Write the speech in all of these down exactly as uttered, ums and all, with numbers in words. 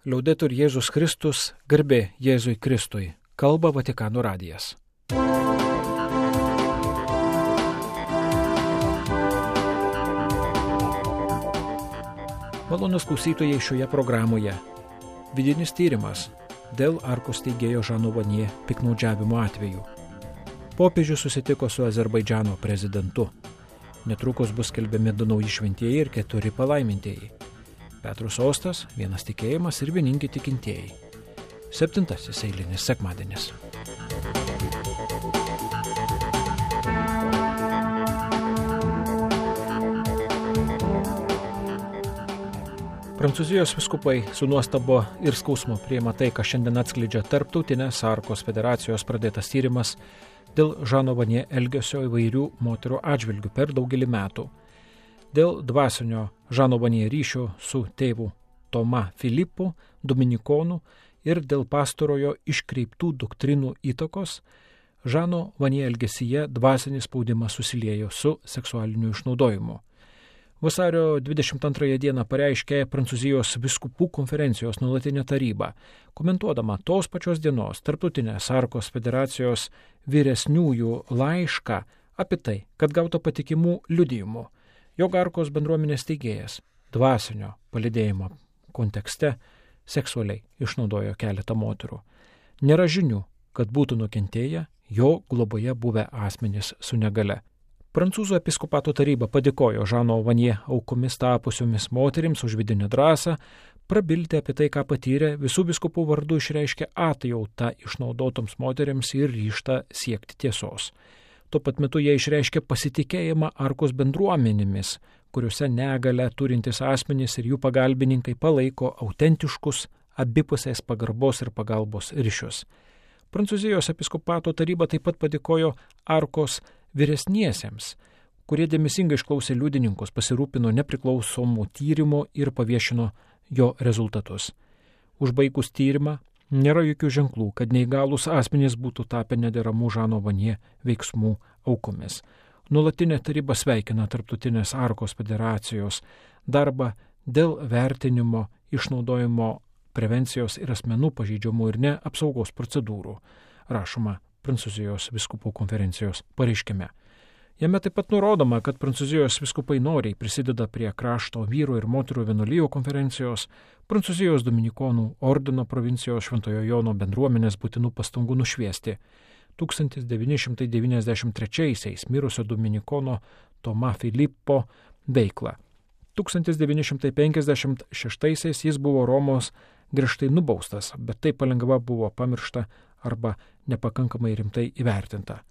Liaudetur Jėzus Kristus, garbė Jėzui Kristui, kalba Vatikano radijas. Malonus klausytojai šioje programoje. Vidinis tyrimas dėl Arkos steigėjo Žano Vanie piktnaudžiavimo atveju. Popiežius susitiko su Azerbaidžano prezidentu. Netrukus bus skelbiami du nauji šventieji ir keturi palaimintieji. Petro sostas, vienas tikėjimas ir vieningi tikintieji. Septintasis eilinis sekmadienis. Prancūzijos vyskupai su nuostabo ir skausmu priima tai, ką šiandien atskleidžia Tarptautinės Arkos federacijos pradėtas tyrimas dėl Žano Vanie elgesio įvairių moterų atžvilgių per daugelį metų. Dėl dvasinio Žano Vanie ryšio su tėvu Toma Filipu, dominikonu, ir dėl pastarojo iškreiptų doktrinų įtakos, Žano Vanie elgesyje dvasinis spaudimas susiliejo su seksualiniu išnaudojimu. Vasario dvidešimt antrąją dieną pareiškė Prancūzijos vyskupų konferencijos nuolatinė taryba, komentuodama tos pačios dienos Tarptautinės Arkos federacijos vyresniųjų laišką apie tai, kad gauta patikimų liudijimų, jog Arkos bendruomenės steigėjas dvasinio palydėjimo kontekste seksualiai išnaudojo keletą moterų. Nėra žinių, kad būtų nukentėję jo globoje buvę asmenys su negale. Prancūzų episkopato taryba padėkojo Žano Vanie aukomis tapusiomis moterims už vidinę drąsą, prabilti apie tai, ką patyrė, visų vyskupų vardu išreiškė atjautą išnaudotoms moterims ir ryžtą siekti tiesos. Tuo pat metu jie išreiškė pasitikėjimą Arkos bendruomenėmis, kuriuose negalę turintys asmenys ir jų pagalbininkai palaiko autentiškus abipusės pagarbos ir pagalbos ryšius. Prancūzijos episkopato taryba taip pat padėkojo Arkos vyresniesiems, kurie dėmesingai išklausė liudininkus, pasirūpino nepriklausomų tyrimų ir paviešino jo rezultatus. Užbaigus tyrimą, nėra jokių ženklų, kad neįgalūs asmenys būtų tapę nederamų Žano Vanie veiksmų aukomis. Nuolatinė taryba sveikina Tarptautinės Arkos federacijos darbą dėl vertinimo, išnaudojimo, prevencijos ir asmenų pažeidžiamų ir ne apsaugos procedūrų, rašoma Prancūzijos vyskupų konferencijos pareiškime. Jame taip pat nurodoma, kad Prancūzijos vyskupai noriai prisideda prie krašto vyrų ir moterų vienuolijų konferencijos, Prancūzijos dominikonų ordino provincijos Šventojo Jono bendruomenės būtinų pastangų nušviesti tūkstantis devyni šimtai devyniasdešimt trečiaisiais mirusio dominikono Toma Filipo veiklą. tūkstantis devyni šimtai penkiasdešimt šeštaisiais jis buvo Romos griežtai nubaustas, bet tai palengva buvo pamiršta arba nepakankamai rimtai įvertinta.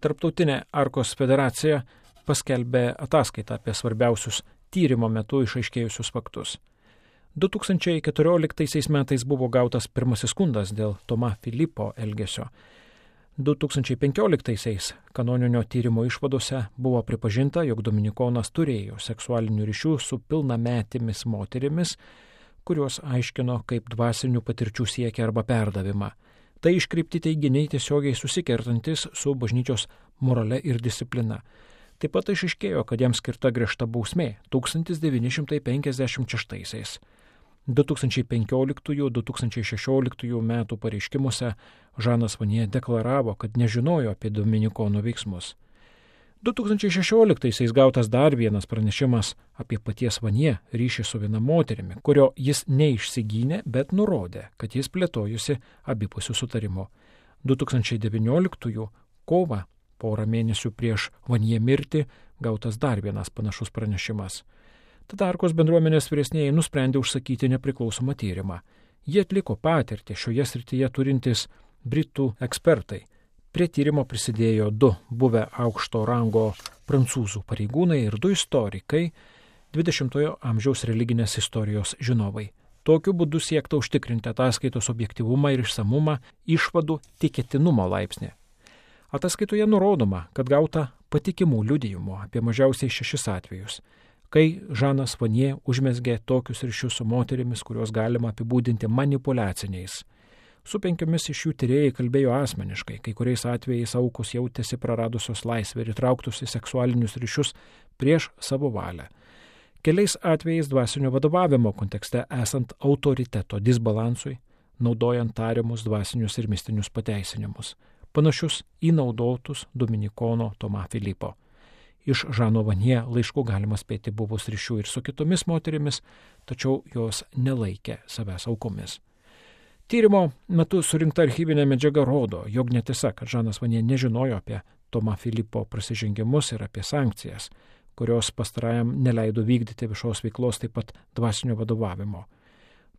Tarptautinė Arkos federacija paskelbė ataskaitą apie svarbiausius tyrimo metu išaiškėjusius faktus. du tūkstančiai keturioliktaisiais metais buvo gautas pirmasis skundas dėl Toma Filipo elgesio. du tūkstančiai penkioliktaisiais kanoninio tyrimo išvadose buvo pripažinta, jog dominikonas turėjo seksualinių ryšių su pilnametėmis moterimis, kurios aiškino kaip dvasinių patirčių siekį arba perdavimą. Tai iškreipti teiginiai tiesiogiai susikertantis su bažnyčios morale ir disciplina. Taip pat išaiškėjo, kad jam skirta griežta bausmė tūkstantis devyni šimtai penkiasdešimt šeštaisiais. du tūkstančiai penkioliktųjų - du tūkstančiai šešioliktųjų metų pareiškimuose Žanas Vanie deklaravo, kad nežinojo apie dominikonų veiksmus. du tūkstančiai šešioliktaisiais gautas dar vienas pranešimas apie paties Vanie ryšį su viena moterimi, kurio jis neišsigynė, bet nurodė, kad jis plėtojusi abipusių sutarimu. du tūkstančiai devynioliktųjų kovą, porą mėnesių prieš Vanie mirtį, gautas dar vienas panašus pranešimas. Tada Arkos bendruomenės vyresnieji nusprendė užsakyti nepriklausomą tyrimą. Jie atliko patirtį šioje srityje turintys britų ekspertai. Prie tyrimo prisidėjo du buvę aukšto rango prancūzų pareigūnai ir du istorikai, dvidešimtojo amžiaus religinės istorijos žinovai. Tokiu būdu siekta užtikrinti ataskaitos objektyvumą ir išsamumą, išvadų tikėtinumo laipsnį. Ataskaitoje nurodoma, kad gauta patikimų liudijimų apie mažiausiai šešis atvejus, kai Žanas Vanie užmezgė tokius ryšius su moterimis, kuriuos galima apibūdinti manipuliaciniais. Su penkiomis iš jų tyrėjai kalbėjo asmeniškai, kai kuriais atvejais aukos jautėsi praradusios laisvę ir įtrauktus į seksualinius ryšius prieš savo valią. Keliais atvejais dvasinio vadovavimo kontekste esant autoriteto disbalansui, naudojant tariamus dvasinius ir mistinius pateisinimus, panašius į naudotus Dominikono Tomą Filipo. Iš Žano Vanje laiškų galima spėti buvus ryšių ir su kitomis moterimis, tačiau jos nelaikė savęs aukomis. Tyrimo metu surinkta archyvinė medžiaga rodo, jog netiesa, kad Žanas Vanje nežinojo apie Tomą Filipo prasižengimus ir apie sankcijas, kurios pastarajam neleido vykdyti viešos veiklos, taip pat dvasinio vadovavimo.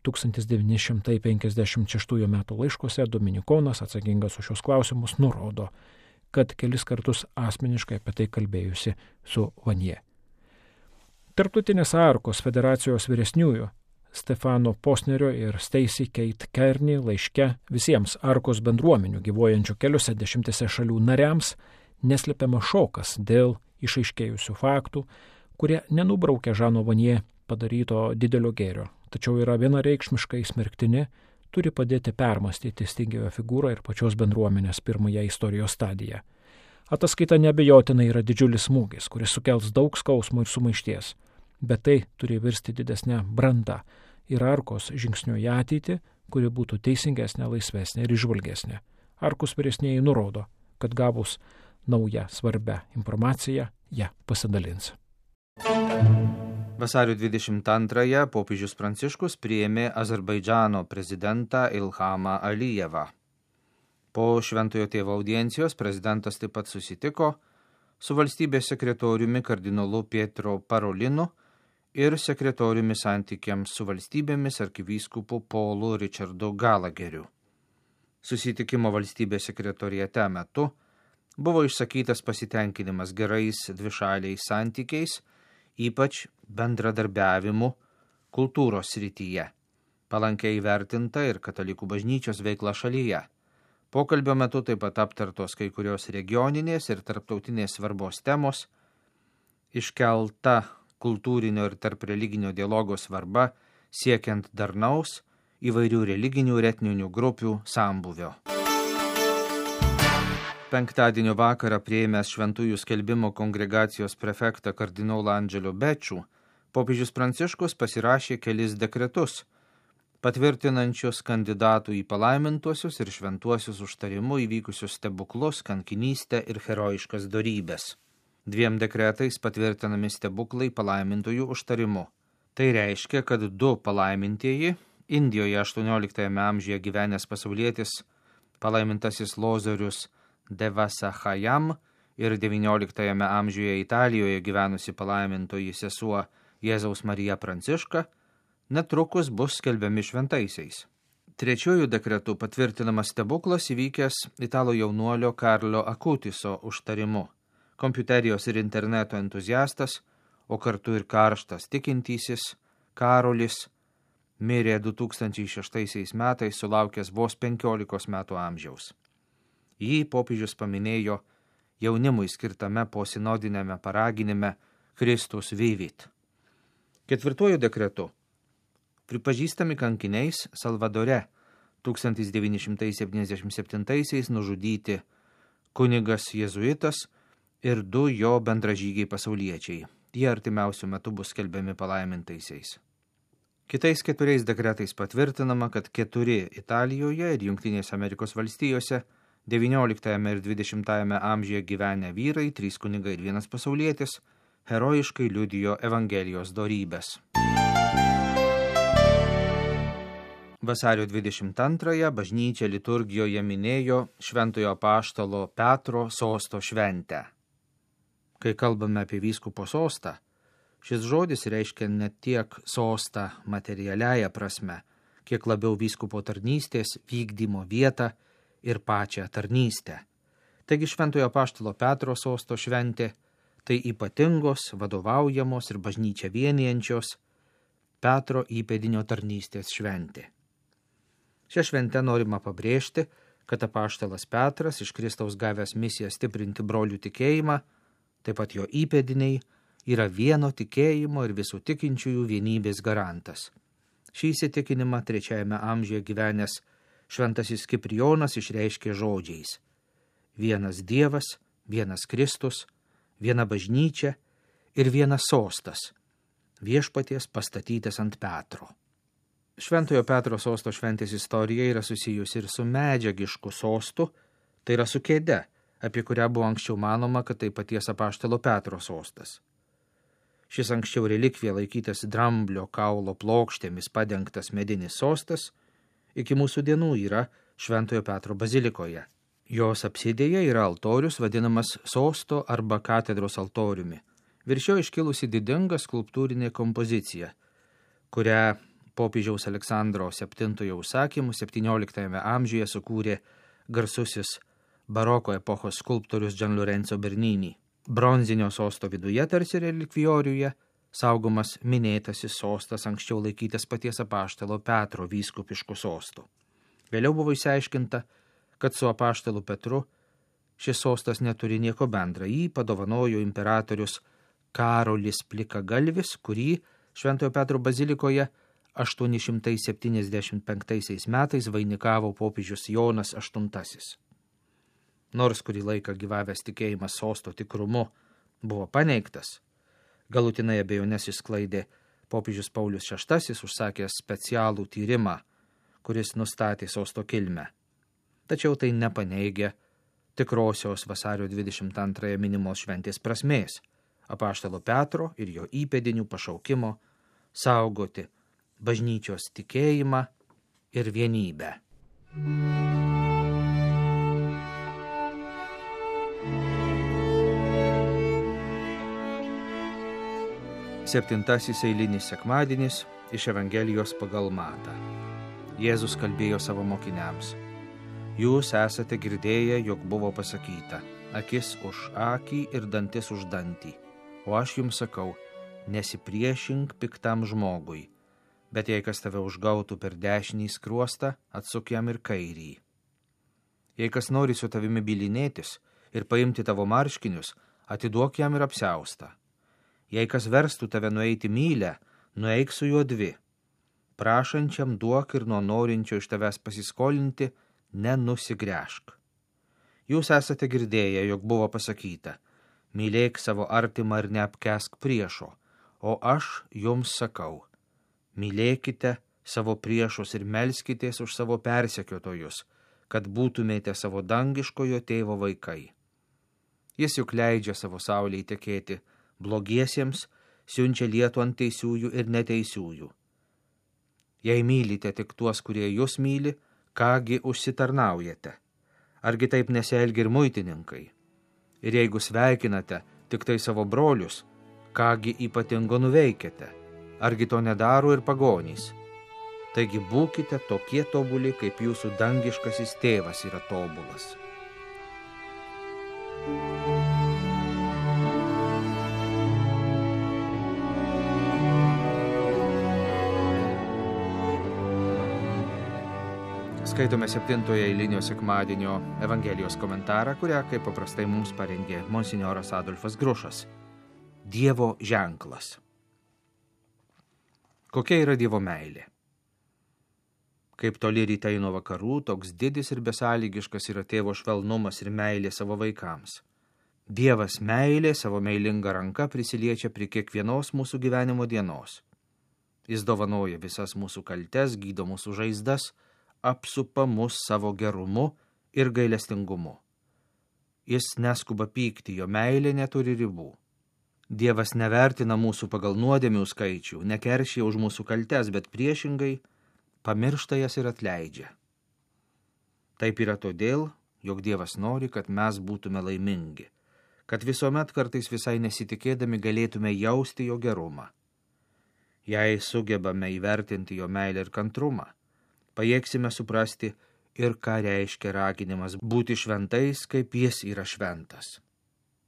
tūkstantis devyni šimtai penkiasdešimt šeštųjų metų laiškuose Dominikonas, atsakingas už šios klausimus, nurodo, kad kelis kartus asmeniškai apie tai kalbėjusi su Vanje. Tarptautinės Arkos federacijos vyresniųjų Stefano Posnerio ir Stacy Kate Kearney laiške visiems Arkos bendruomenių gyvuojančių keliose dešimtise šalių nariams neslepiama šokas dėl išaiškėjusių faktų, kurie nenubraukia Žano Vanje padaryto didelio gėrio, tačiau yra vienareikšmiškai smerktini, turi padėti permastyti Stingėjo figūrą ir pačios bendruomenės pirmąją istorijos stadiją. Ataskaita neabejotinai yra didžiulis smūgis, kuris sukels daug skausmo ir sumaišties, bet tai turi virsti didesnę brandą ir Arkos žingsniu į ateitį, kuri būtų teisingesnė, laisvesnė ir išvalgesnė. Arkos vyresnieji nurodo, kad gavus naują svarbę informaciją, ją pasidalins. Vasario dvidešimt antrąją popiežius Pranciškus priėmė Azerbaidžano prezidentą Ilhamą Alijevą. Po Šventojo tėvo audiencijos prezidentas taip pat susitiko su valstybės sekretoriumi kardinolu Pietro Parolinu ir sekretoriumi santykiams su valstybėmis arkivyskupu Paulu Richardu Galageriu. Susitikimo valstybės sekretoriate metu buvo išsakytas pasitenkinimas gerais dvišaliais santykiais, ypač bendradarbiavimu kultūros srityje, palankiai įvertinta ir katalikų bažnyčios veikla šalyje. Pokalbio metu taip pat aptartos kai kurios regioninės ir tarptautinės svarbos temos, iškelta kultūrinio ir tarp religinio dialogo svarba siekiant darnaus įvairių religinių ir etninių grupių sambūvio. Penktadienio vakarą priėmęs Šventųjų skelbimo kongregacijos prefektą kardinolą Andželio Bečų, popiežius Pranciškus pasirašė kelis dekretus, patvirtinančius kandidatų į palaimintuosius ir šventuosius užtarimu įvykusius stebuklus, kankinystę ir herojiškas dorybes. Dviem dekretais patvirtinami stebuklai palaimintųjų užtarimu. Tai reiškia, kad du palaimintieji, Indijoje aštuonioliktajame amžiuje gyvenęs pasaulietis palaimintasis Lozorius Devasahajam ir devynioliktajame amžiuje Italijoje gyvenusi palaimintoji sesuo Jėzaus Marija Pranciška, netrukus bus skelbiami šventaisiais. Trečiųjų dekretų patvirtinamas stebuklas įvykęs italų jaunuolio Karlo Akutiso užtarimu. Kompiuterijos ir interneto entuziastas, o kartu ir karštas tikintysis, Karolis, mirė du tūkstančiai šeštaisiais metais sulaukęs vos penkiolikos metų amžiaus. Jį popiežius paminėjo jaunimui skirtame posinodinėme paraginime Kristus Vivit. Ketvirtuoju dekretu pripažįstami kankiniais Salvadore tūkstantis devyni šimtai septyniasdešimt septintaisiais nužudyti kunigas jėzuitas ir du jo bendražygiai pasauliečiai. Jie artimiausių metų bus skelbiami palaimintaisiais. Kitais keturiais dekretais patvirtinama, kad keturi Italijoje ir Jungtinėse Amerikos valstijose devynioliktajame ir dvidešimtajame amžiuje gyvenę vyrai, trys kunigai ir vienas pasaulietis, herojiškai liudijo Evangelijos dorybes. Vasario dvidešimt antrąją bažnyčia liturgijoje minėjo Šventojo apaštalo Petro sosto šventę. Kai kalbame apie vyskupo sostą, šis žodis reiškia ne tiek sostą materialiąją prasme, kiek labiau vyskupo tarnystės vykdymo vietą ir pačią tarnystę. Taigi Šventojo apaštalo Petro sosto šventė tai ypatingos, vadovaujamos ir bažnyčią vienijančios Petro įpėdinio tarnystės šventė. Šią šventę norima pabrėžti, kad apaštalas Petras iš Kristaus gavęs misiją stiprinti brolių tikėjimą, taip pat jo įpėdiniai, yra vieno tikėjimo ir visų tikinčiųjų vienybės garantas. Šį įsitikinimą trečiajame amžiuje gyvenęs šventasis Kiprijonas išreiškė žodžiais: vienas Dievas, vienas Kristus, viena bažnyčia ir vienas sostas, viešpaties pastatytas ant Petro. Šventojo Petro sosto šventės istorija yra susijusi ir su medžiagišku sostu, tai yra su kėde, apie kurią buvo anksčiau manoma, kad tai paties apaštalo Petro sostas. Šis anksčiau relikvija laikytas dramblio kaulo plokštėmis padengtas medinis sostas iki mūsų dienų yra Šventojo Petro bazilikoje. Jos apsidėje yra altorius vadinamas sosto arba katedros altoriumi. Virš jo iškilusi didinga skulptūrinė kompozicija, kurią popiežiaus Aleksandro septintojo užsakymu septynioliktajame amžiuje sukūrė garsusis baroko epochos skulptorius Gian Lorenzo Bernini. Bronzinio sosto viduje tarsi relikvijoriuje saugomas minėtasis sostas anksčiau laikytas paties apaštalo Petro vyskupišku sostu. Vėliau buvo išsiaiškinta, kad su apaštalu Petru šis sostas neturi nieko bendra. Jį padovanojo imperatorius Karolis Plikagalvis, kurį Šventojo Petro bazilikoje aštuoni šimtai septyniasdešimt penktaisiais metais vainikavo popiežius Jonas aštuntasis. Nors kurį laiką gyvavęs tikėjimas sosto tikrumu buvo paneigtas, galutinai abejonės išsklaidė popiežius Paulius šeštasis, užsakęs specialų tyrimą, kuris nustatė sosto kilmę. Tačiau tai nepaneigia tikrosios vasario dvidešimt antrąją minimos šventės prasmės, apaštalo Petro ir jo įpėdinių pašaukimo saugoti bažnyčios tikėjimą ir vienybę. Septintasis eilinis sekmadienis iš Evangelijos pagal Matą. Jėzus kalbėjo savo mokiniams. Jūs esate girdėję, jog buvo pasakyta, akis už akį ir dantis už dantį. O aš jums sakau, nesipriešink piktam žmogui, bet jei kas tave užgautų per dešinį skruostą, atsuk jam ir kairį. Jei kas nori su tavimi bylinėtis ir paimti tavo marškinius, atiduok jam ir apsiaustą. Jei kas verstų tave nueiti mylę, nueik su juo dvi. Prašančiam duok ir nuo norinčio iš tavęs pasiskolinti, nenusigręžk. Jūs esate girdėję, jog buvo pasakyta, mylėk savo artimą ir neapkesk priešo, o aš jums sakau, mylėkite savo priešus ir melskitės už savo persekiotojus, kad būtumėte savo dangiškojo tėvo vaikai. Jis juk leidžia savo saulei tekėti blogiesiems, siunčia lietų ant teisiųjų ir neteisiųjų. Jei mylite tik tuos, kurie jūs myli, kągi užsitarnaujate? Argi taip nesielgia ir muitininkai? Ir jeigu sveikinate tik tai savo brolius, kągi ypatingo nuveikiate? Argi to nedaro ir pagonys? Taigi būkite tokie tobuli, kaip jūsų dangiškasis tėvas yra tobulas. Skaitome septintojo eilinio sekmadienio Evangelijos komentarą, kurią, kaip paprastai mums parengė monsinjoras Adolfas Grušas. Dievo ženklas. Kokia yra Dievo meilė? Kaip toli rytai nuo vakarų, toks didis ir besąlygiškas yra tėvo švelnumas ir meilė savo vaikams. Dievas meilė savo meilinga ranka prisiliečia prie kiekvienos mūsų gyvenimo dienos. Jis dovanoja visas mūsų kaltes, gydo mūsų žaizdas, apsupa mus savo gerumu ir gailestingumu. Jis neskuba pykti, jo meilė neturi ribų. Dievas nevertina mūsų pagal nuodėmių skaičių, nekeršia už mūsų kaltes, bet priešingai pamiršta jas ir atleidžia. Taip yra todėl, jog Dievas nori, kad mes būtume laimingi, kad visuomet kartais visai nesitikėdami galėtume jausti jo gerumą. Jei sugebame įvertinti jo meilę ir kantrumą, pajėgsime suprasti ir ką reiškia raginimas būti šventais, kaip jis yra šventas.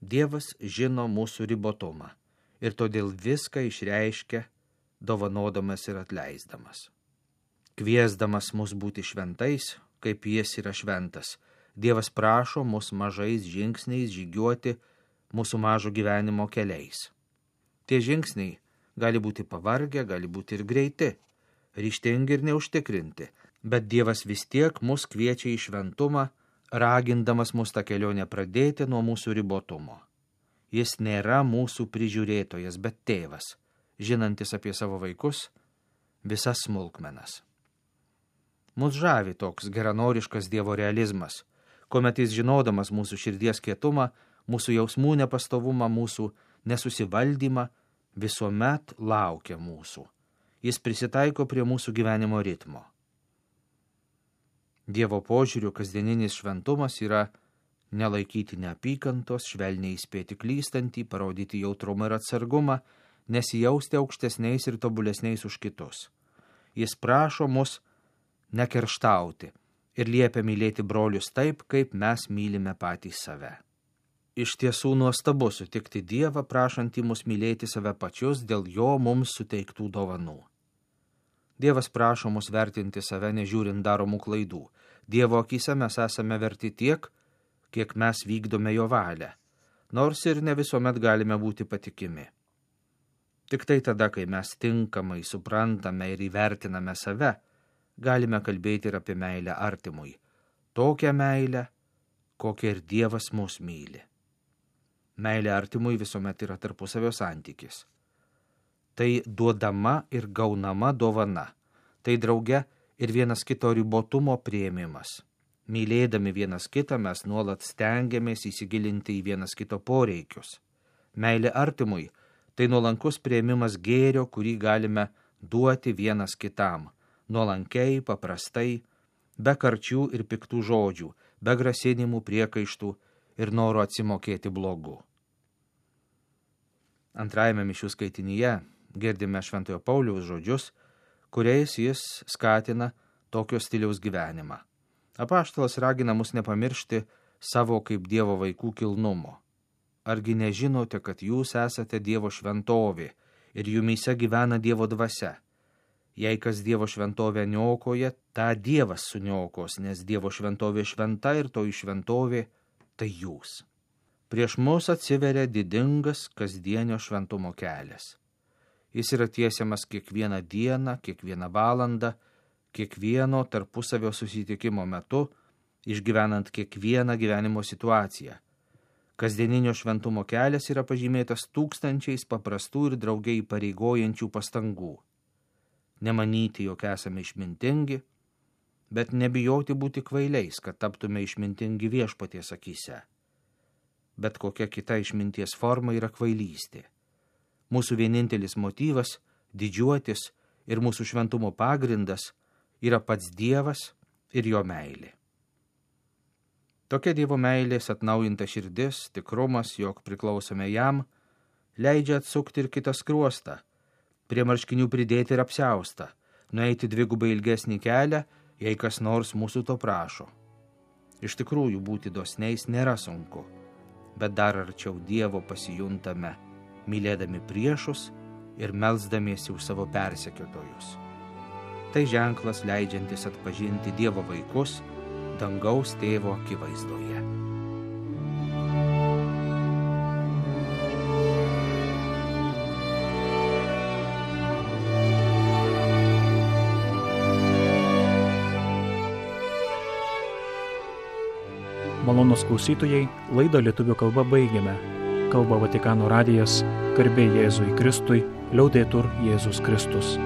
Dievas žino mūsų ribotumą ir todėl viską išreiškia, dovanodamas ir atleisdamas. Kviesdamas mus būti šventais, kaip jis yra šventas, Dievas prašo mus mažais žingsniais žygiuoti mūsų mažo gyvenimo keliais. Tie žingsniai gali būti pavargę, gali būti ir greiti, ryžtingi ir neužtikrinti, bet Dievas vis tiek mus kviečia į šventumą, ragindamas mus tą kelionę pradėti nuo mūsų ribotumo. Jis nėra mūsų prižiūrėtojas, bet tėvas. žinantis apie savo vaikus visas smulkmenas. Mus žavi toks geranoriškas Dievo realizmas, kuomet jis žinodamas mūsų širdies kietumą, mūsų jausmų nepastovumą, mūsų nesusivaldymą, visuomet laukia mūsų. Jis prisitaiko prie mūsų gyvenimo ritmo. Dievo požiūriu kasdieninis šventumas yra nelaikyti neapykantos, švelniai įspėti klystantį, parodyti jautrumą ir atsargumą, nesijausti aukštesniais ir tobulesniais už kitus. Jis prašo mus nekerštauti ir liepia mylėti brolius taip, kaip mes mylime patys save. Iš tiesų nuostabu sutikti Dievą, prašantį mus mylėti save pačius dėl jo mums suteiktų dovanų. Dievas prašo mus vertinti save nežiūrint daromų klaidų. Dievo akyse mes esame verti tiek, kiek mes vykdome jo valią, nors ir ne visuomet galime būti patikimi. Tik tai tada, kai mes tinkamai suprantame ir įvertiname save, galime kalbėti ir apie meilę artimui. Tokią meilę, kokią ir Dievas mus myli. Meilė artimui visuomet yra tarpusavio santykis. Tai duodama ir gaunama dovana. Tai drauge ir vienas kito ribotumo priėmimas. Mylėdami vienas kitą mes nuolat stengiamės įsigilinti į vienas kito poreikius. Meilė artimui – tai nuolankus priėmimas gėrio, kurį galime duoti vienas kitam. Nuolankiai, paprastai, be karčių ir piktų žodžių, be grasinimų, priekaištų ir noro atsimokėti blogu. Antrajame mišių skaitinyje girdime Šventojo Pauliaus žodžius, kuriais jis skatina tokio stiliaus gyvenimą. Apaštalas ragina mus nepamiršti savo kaip Dievo vaikų kilnumo. Argi nežinote, kad jūs esate Dievo šventovė ir jumyse gyvena Dievo dvasia? Jei kas Dievo šventovę niokoja, tą Dievas suniokos, nes Dievo šventovė šventa ir toji šventovė tai jūs. Prieš mus atsiveria didingas kasdienio šventumo kelias. Jis yra tiesiamas kiekvieną dieną, kiekvieną valandą, kiekvieno tarpusavio susitikimo metu, išgyvenant kiekvieną gyvenimo situaciją. Kasdieninio šventumo kelias yra pažymėtas tūkstančiais paprastų ir draugiai įpareigojančių pastangų. Nemanyti, jog esame išmintingi, bet nebijoti būti kvailiais, kad taptume išmintingi Viešpaties akyse. Bet kokia kita išminties forma yra kvailystė. Mūsų vienintelis motyvas – didžiuotis ir mūsų šventumo pagrindas yra pats Dievas ir jo meilė. Tokia Dievo meilės atnaujinta širdis, tikrumas, jog priklausome jam, leidžia atsukti ir kitą skruostą, prie marškinių pridėti ir apsiaustą, nueiti dvigubai ilgesnį kelią, jei kas nors mūsų to prašo. Iš tikrųjų, būti dosniais nėra sunku, bet dar arčiau Dievo pasijuntame, mylėdami priešus ir melsdamiesi už savo persekiotojus. Tai ženklas leidžiantis atpažinti Dievo vaikus dangaus tėvo akivaizdoje. Malonūs klausytojai, laidą lietuvių kalba baigiame. Kalba Vatikano radijas, garbė Jėzui Kristui, liaudetur Jėzus Kristus.